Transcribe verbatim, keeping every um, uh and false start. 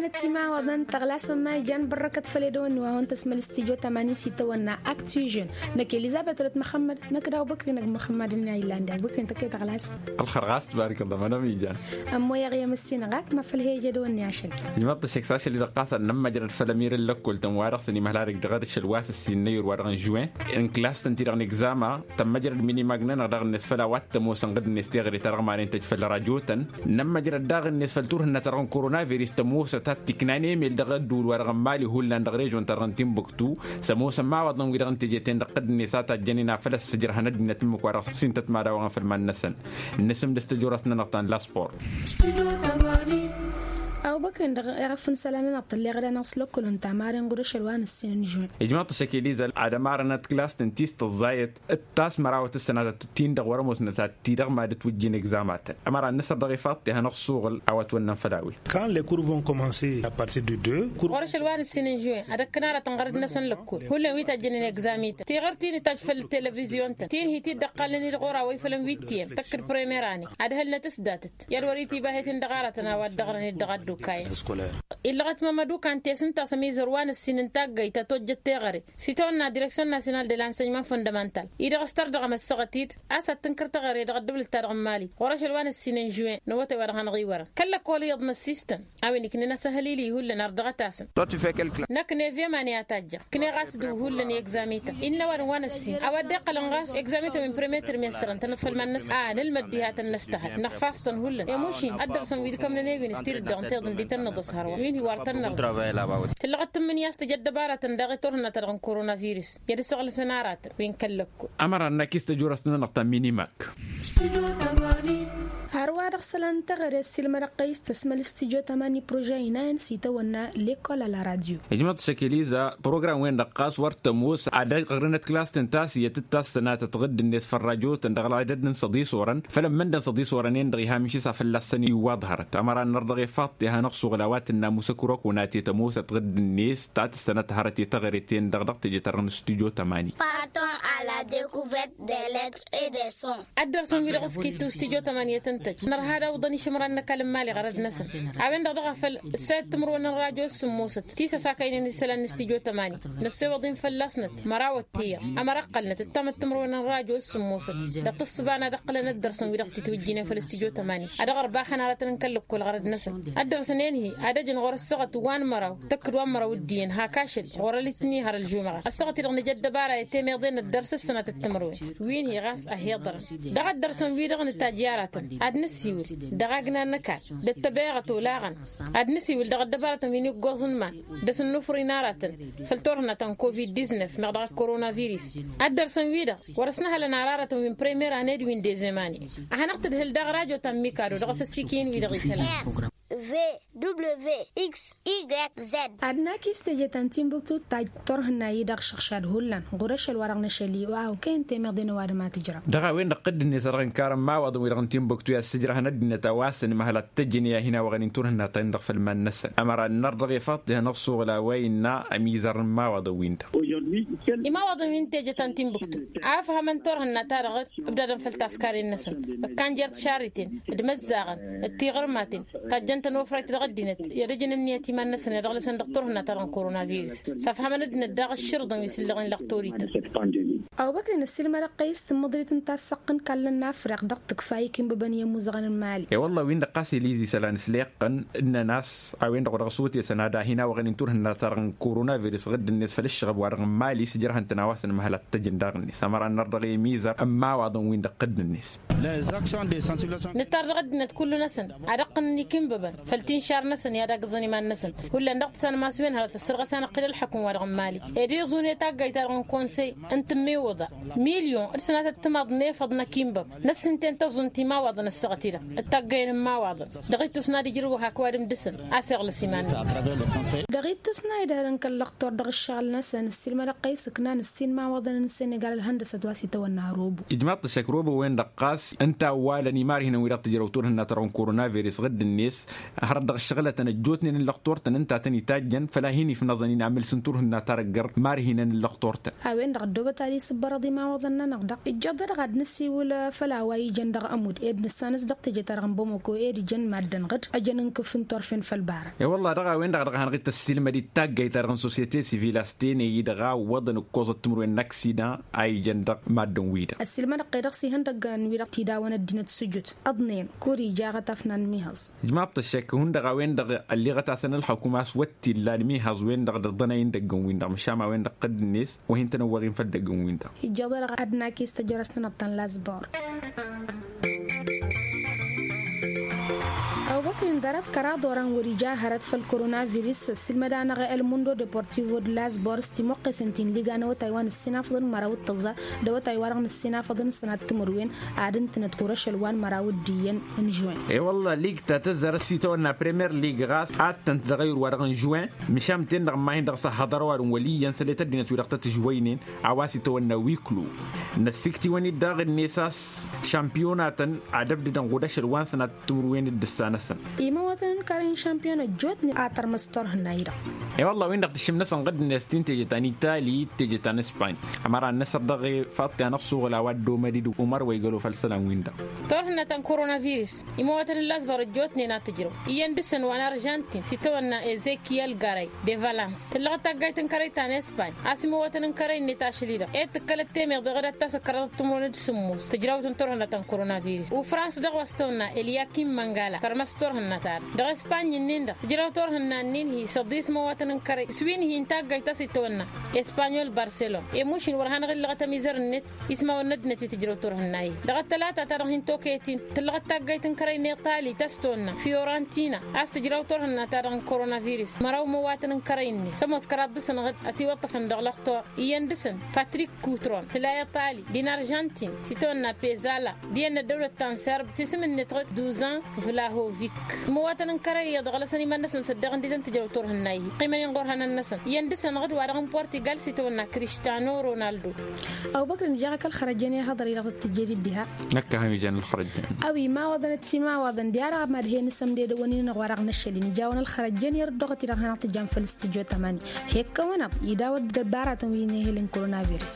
Timawaḍăn tăɣlasăn ma ijan bărrăkăt făll-edăwănni wa hawăn-tăsmăl s-tijo tămani s-itawănna aktižen. Năkk elizăbet răt măxămmăd năkk daw băkri năkk măxămmăd n-a illan daw băkri n-tăkk i-tăɣlasăn. Ălxăr ɣas tbarăkălla mănăm ijan. Ămmoyăɣ i-măssinăɣ ak mafăl he-ejădăwănni ašăl. Ijmăḍ-t ăššăk s-ašăl-i-dăɣ ɣas ad-nămmăjrăd făll-ămirăn lăkkol-tăn wa-dăɣ s-ănimăhla dăɣ-dd-ăššăl wa s-ăssin n-ăyyur wa dăɣ-n žuwen n-klas-tăn-ti-dăɣ n-egzama. Tămmăjrăd minimag-nănăɣ daɣ-net făll-a-wa t-ămoosăn ɣǝd-net teɣăre-ta-dăɣ maren tăj făll-rajo-tăn. Nămmăjrăd daɣ-net făll-turhǝnna-ta-dăɣ n-korona viris tămoosăt ad-t-iknan emel dăɣ-ădduul wa dăɣ-n mali hullan dăɣ-režon-ta-dăɣ n-timbuktu. S-ămoosăn imawaḍăn-wi-dăɣ n-teje-ten-dăɣ ɣǝd-net a tajjănen a făl ăssǝjrăhăn ăddinăt ǝmmǝk wa dăɣ-s s-intăt mad-awăɣăn făll-iman-năsăn. Nǝsǝm d-s-tăjorăt-nănăɣ ta n-laspor. Ăwbăkrin dăɣ-erăf n-isălan-nănăɣ tălleɣ d-anăɣ s-lăkkulăn tamaren ɣur-ašăl wa n-ǝssin n-žuwen. Ijmăḍ-t ăššăk eliza ad-ămarănăt klas-tăn ti s-tăẓẓayăt d-tasmărawăt d-sănatăt-tin-dăɣ wăr-ămoosnăt ad-ti-dăɣ mad-ătwǝjjin egzamatăn. Ămăra n-nǝsăr dăɣ-ifaḍ-t iha n-ăṣṣuɣǝl a-wa ătwănnăn făll-a-wen. Quand les cours vont commencer à partir du deux. Ɣur-ašăl wa n-ǝssin n-žuwen ad-ăkkăn aratăn ɣărăd-năsăn lăkkul hullan wi tajjănen egzamităn tiɣăr ti n-itajj făll-televizyon-tăn ti n-hi-t-dd-ăqqalăn-dd ɣur-a-wa ifălăn wi t-iyyăn tăkk-dd premira-net ad-hălnăt s-datăt i-ad-wăr-itibah i-ten-dăɣ aratăn a-wa dd-ăɣrăn-dd dăɣ-addukayăn. Illăɣăt mămădukan tesǝnta s-ămizăr wa n-ǝssin n-taggăyt ta tojjăt teɣăre s-itawănna direksyon nasyonal de lansănyman fondamental-i-dăɣ s-tărdăɣăm ăssaɣăt-dd a-s ad-tǝnkăr teɣăre dăɣ-ăddăbǝl-ta-dăɣ n-imali. Ɣur-ašăl wa n-ǝssin n-žuwen n-awătay wa dăɣ-hanăɣ-iwărăn kăl-lăkkol iyyăḍ n-ăssistăn a-wen iknen asăhălil-i hullan ar dăɣ-ătasăn. Năkk n-evyăman i-ad-tajjăɣ ǝkneɣ a-s dăɣ-hullan i-egzamităn innă ăwadǝm wa n-ăssin a-wa dd-iqqălăn ɣas egzamităn wi n-premiyer trimestăr ǝntănăt făll-iman-năsăn a nǝlmăd diha tăn-năstăhăl năɣfas-tăn hullan i-mušin ăddărsăn wi d-kămnăn i-wi n-s tidǝddaɣ n-tiḍǝndit tăn-nǝḍǝshăr wa wi n-hi-wăr tăn-năɣ. Tǝllăɣ d-tǝmmǝnǝya a-s tăj ăddăbarătăn daɣ i-turhǝnna-ta-dăɣ n-korona virus i-ad-ăsăɣlǝsăn aratăn wi n-kăl-lăkkul. Ămăra n-akis tăjurăst-nănăɣ ta n-minimak. Hărwa-dăɣ isălan n-teɣăre ăssiilmădăɣ-tăy s-tăsmăl s-tijo tămani prože inayăn s-itawănna lekol a la radio. Ijmăḍ-t šăkiliza program-wen-dăɣ ɣas wăr tămoos ad-ăɣrǝnăt klas-tăn ta s-iyyăt d-tassănatăt ɣǝdd-net făll-radio-tăn dăɣ-ălɣăydăd n-săḍisor-ăn făll-ămmăndăn săḍisor-ănen-dăɣ iha mǝšis a fălla-săn iwwaḍ hărăt ămăra n-năr dăɣ-ifaḍ teha n-ăṣṣuɣǝl a-wa tǝnna musăkrok wănate tămoosăt ɣǝdd-net ta tǝssănăt hărăt i-teɣăre-ten-dăɣ dăɣ-teje-ta-dăɣ n-studio tămani. Partons à la découverte des lettres et des sons. Ăddărsăn-wi-dăɣ s-kittu s-tijo tămani i-tăn-tăj nărha ad-awǝḍăn išǝmran n-ăkall n-imali ɣărăd-năsăn a-wen-dăɣ dăɣ-a făl ǝssayăt timǝrwen n-radio s-sǝmmosăt ti s-ăsakăynen isălan n-stijo tămani. Năssewăḍ-in fălla-snăt măraw ăttiyăɣ ămăra ǝqqălnăt d-tamăt timǝrwen n-radio s-sǝmmosăt dăɣ-tǝssǝba n-ad-ǝqqǝlăn ăddărsăn-wi-dăɣ titwǝjjǝynen făll-stijo tămani ad-ăɣrǝb axăn aratăn n-kăl-lăkkol ɣărăd-năsăn. Ăddărsăn-en-hi ad-ăjăn ɣur-ăssaɣăt wa n-măraw tăkk d-wa n-măraw d-iyyăn hak ašăl ɣur-ălitni har ălžumăɣăt ăssaɣăt-i-dăɣ nǝja ăddăbara i-temeḍe n-ăddărs s-sănatăt timǝrwen wi n-hi ɣas ăhiḍărăn dăɣ-ăddărsăn-wi-dăɣ nǝtajj i-aratăn ad-nǝsiwǝl dăɣ-agna n-ăkall d-ăttăbeɣăt olaɣăn ad-nǝsiwǝl dăɣ-ăddăbaratăn wi n-iggoẓ n-iman d-asǝnnufri n-aratăn făll-turhǝnna ta n-covid-diznef meɣ dăɣ-korona virus. Ăddărsăn-wi-dăɣ wăr-ăsnăhălăn ararătăn wi n-premira n-ed wi n-dezemani ad-hanăɣ-tǝdhǝl daɣ radio ta n-mikado dăɣ-asăssikiyen-wi-dăɣ isălan. V W X Y Z. Ad-naki s-teje ta n-timbuktu tajj turhǝnna-i-dăɣ šăɣšad hullan ɣur-ašăl wa dăɣ-năšăl-i wa okăyăn temeḍe n-ăwadǝm a tǝjrăw. Dăɣ-a-wen-dăɣ ɣǝdd-net a dăɣ-inkar n-imawaḍăn-wi-dăɣ n-timbuktu i-ad-sǝjrăhăn ăddinăt a-wa s-ănimăhăl ad-t-ăjjǝn i-ad-hin-awăɣăn-in turhǝnna ta-in-dăɣ făll-iman-năsăn ămăra ănnăr dăɣ-ifaḍ-t ihăn ăṣṣuɣǝl a-wa innă ămizăr n-imawaḍăn-win-dăɣ. Imawaḍăn wi n-teje ta n-timbuktu a ăfhămăn turhǝnna-ta-dăɣ dd-ǝbdadăn făll-taskaren-năsăn ǝkkan jer-tišarriten d-imăzzaɣăn d-tiɣǝrmaten tajjăn-tăn ofrayt dăɣ-ăddinăt i-ad-ǝjǝn ǝnniyăt iman-năsăn i-ad-ăɣlăsăn dăɣ-turhǝnna-ta-dăɣ n-korona virus. S-ăfhămăn ăddinăt daɣ ǝššǝrǝḍăn wi s-ǝllăɣen lăɣtorităn. Ăwbăkri n-ăssiilmădăɣ-tăy s-tǝmmǝḍrit n-tassăɣt n-kallăn n-afriq dăɣ-tǝkfa ikinbăbăn i-ămuzăɣăn n-mali. E-wălla-win-dăɣ ɣas elizi isălan s-leqqăn ǝnnăn a-s a-wen-dăɣ wa dăɣ-s otesăn ad-ahin-awăɣăn-in turhǝnna-ta-dăɣ n-korona virus ɣǝdd-net făll-ǝššăɣăb wa dăɣ-n mali s-ǝjrăhăn-tăn a-wa s-ănmăhăl ad-t-ăjǝn daɣ-net ămăra ănnăr dăɣ-emizăr n-imawaḍăn-win-dăɣ ɣǝdd-net. Nǝttar dăɣ-ăddinăt kullu-năsăn ad-ǝqqǝnăn ikinbăbăn făll-tinšar-năsăn i-ad-agǝẓăn iman-năsăn. Hullan dăɣ-tǝsanmas-wen hărăt ăssărɣăs-anăɣ-t-dd ălxukǝm wa dăɣ-n mali ed iẓun i-taggayt-ta-dăɣ n-konsey n-tǝmmiwǝḍa milyon d-sănatăt timaḍ n-efăḍ n-akinbăb. Năssinten tăẓunt imawaḍăn ăssaɣăt-i-dăɣ d-taggăyăn n-imawaḍăn dăɣ-ittus n-ad-ijrǝw hak ăwadǝm dăɣ-săn a-s iɣlăs iman-năsăn. Dăɣ-ittus n-a idhărăn kăl-lăqtor dăɣ-ǝššăɣǝl-năsăn ǝssilmădăɣ-tăy s-ǝknan ǝssin imawaḍăn n-sănegal ălhăndăsăt wa s-itawănna ărobo. Ijmaḍ-t ăššăk robo-wen-dăɣ ɣas ǝnta a ǝwwalăn imarhinăn wi dăɣ-tǝjrăw turhǝnna-ta-dăɣ n-korona virus ɣǝdd-net. Hărăt dăɣ-ǝššăɣǝlătăn ăjjootnen n-lăqtor-tăn ǝnta a tăn-itajjăn făl-a hin-ifnăẓăn-in amǝl s-n turhǝnna ta dăgg-ărr mar hinăn n-lăqtor-tăn. A-wen-dăɣ ăddoobăt ad-isǝbbărăḍ imawăḍăn-nănăɣ-dăɣ ijjaḍ-dăɣ ad-nǝsiwǝl făll-a-wa ijăn dăɣ-ămudd ed nǝssanăs dăɣ-teje-ta-dăɣ n-bamoko ed ijăn maddǝn ɣǝd ăjăn n-kǝf n-turfen făll-bara. E-wălla dăɣ-a-wen-dăɣ dăɣ-hanăɣ-dd tăssiilmăd d-taggayt-ta-dăɣ n-societe civil a-s tenăy-i-dăɣ a ǝwwăḍăn ǝkkoẓăt timǝrwen n-aksidan a ijăn dăɣ-maddǝn-wi-dăɣ. Ăssiilmădăɣ-t-i-dăɣ s-ihăndăggan-wi-dăɣ tidawăn ăddinăt sujut ăḍnen kur ija aɣătaf n-anmihaẓ. Ǝjmaḍ-t ăššek hundăɣ a-wen-dăɣ ălliɣăt-asăn ălxukǝm a-s wăr t-illa ănmihăẓ-wen-dăɣ dăɣ-iḍănay n-idăggăn-win-dăɣ măšan a-wen-dăɣ tădd-net wa hin-tăn-ăwwăɣ-in făll-idăggăn-win-dăɣ. Ijjăḍ-dăɣ ad-nakis tăjrăst-nănăɣ ta n-lazbor. Ăwbăkrin ḍarăt kăraḍ oran wăr-ija hărăt făll-koronavirus ăssiilmăd-anăɣ elmundo deportivo d-lazbor s-timoqqesen ti n-liga n-awătay wa n-ǝssinafăḍăn măraw d-tăẓẓa d-awătay wa dăɣ-nǝssinafăḍăn sănat timǝrwen ad-ǝntǝnăt kur-ašăl wa n-măraw d-iyyăn n-žuwen. E-wălla lig ta tăzzarăt s-itawănna premier lig ɣas ad-tăn-tǝzăɣăyur wa dăɣ-n žuwen. Măšan ten-dăɣ n-ma-hin-dăɣ s-ăhhăḍărăw ad-n wăl' iyyăn săl i-tăddinăt-wi-dăɣ tăt-žwăynen a-wa s-itawănna wiklo. Năssiktǝwăn-dd daɣ-net a-s šampiyonatăn ad-ăbdădăn ɣud ašăl wa n-sănat timǝrwen d-ǝssa-năsăn. Imawătăn n-kărăy n-šampiyon ăjjootnen a tărmăs turhǝnna-i-dăɣ. E-wălla-wi n-dăɣ tǝššǝm-năsăn ɣǝddǝnet ti n-teje ta n-itali d-teje ta n-ispany. Ămăra n-năsăr dăɣ-e faḍt i-anăɣ-suɣǝl a-wa dd-omăd-dd umăr wa igălo făll-isălan-win-dăɣ. Turhǝnna ta n-koronavirus imawătăn n-lazbar ăjjootnen a tǝjrăw iyyăn dăɣ-săn wa n-aržantin s-itawănna ezekiyel garay de valans tǝllăɣăt taggayt n-kărăy ta n-ispany a-s imawătăn n-kărăy-net ašăl-i-dăɣ ed tǝkkălăt temeḍe ɣǝdat ta s-ǝkrăḍăt timǝrwen d-sǝmmos tǝjrawt n-turhǝnna ta n-koronavirus ufrans dăɣ-wa s-tawănna elyakim măngala tărmăs turhǝnna-ta-dăɣ dăɣ-ispany-nin-dăɣ tǝjraw turhǝnna-nin-hi s-ăḍis imawătăn n-kărăy s-wi n-hi n-taggayt ta s-itawănna espanyol barselon i-mušin wăr hanăɣ-illăɣăt ămizăr-net ismawăn n-ăddinăt wi tǝjrăw turhǝnna-i dăɣ-ăttălata ta dăɣ-hin-toketin tǝllăɣăt taggayt n-kărăy n-iṭali ta s-tawănna fiorantina a-s tǝjraw turhǝnna-ta-dăɣ n-koronavirus măraw imawătăn n-kărăy-net s-ămoos kăraḍ dăɣ-săn ăɣǝd ătiwăṭṭăfăn dăɣ-lăxtor iyyăn dăɣ-săn patrik kutron tǝla iṭali din arjantin s-itawănna pezala d-iyyăn n-ăddăwlăt ta n-serb s-isǝm-net ɣǝd duzan vlahovik imawătăn n-kărăy iyyăḍ ăɣlăsăn iman-năsăn s-ăddeɣ ǝndităn tǝjrăw turhǝnna-i ăqqiimăn-in ɣur-hănan-năsăn iyyăn dăɣ-săn ɣǝd wa dăɣ-n portigal s-itawănna kristano ronaldo. Ăbubăkr ǝnjăɣ-ak ălxărăjăn i-hăḍăr-i-dăɣ tăt-tǝjjed-dd diha. Năkk a hăn ijan ălxărăjăn. A-wi mawăḍăn ăttimawăḍăn diha dăɣ-mad-hen isămdedăwăn-in-dăɣ wa dăɣ-năššăl-in ijawăn ălxărăjăn i-ărduɣăt-i-dăɣ hanăɣ-tǝjam făll-studyo tămani. Hekkăwăn-aḍ idawăt dăbaratăn wi n-ehel n-koronavirus.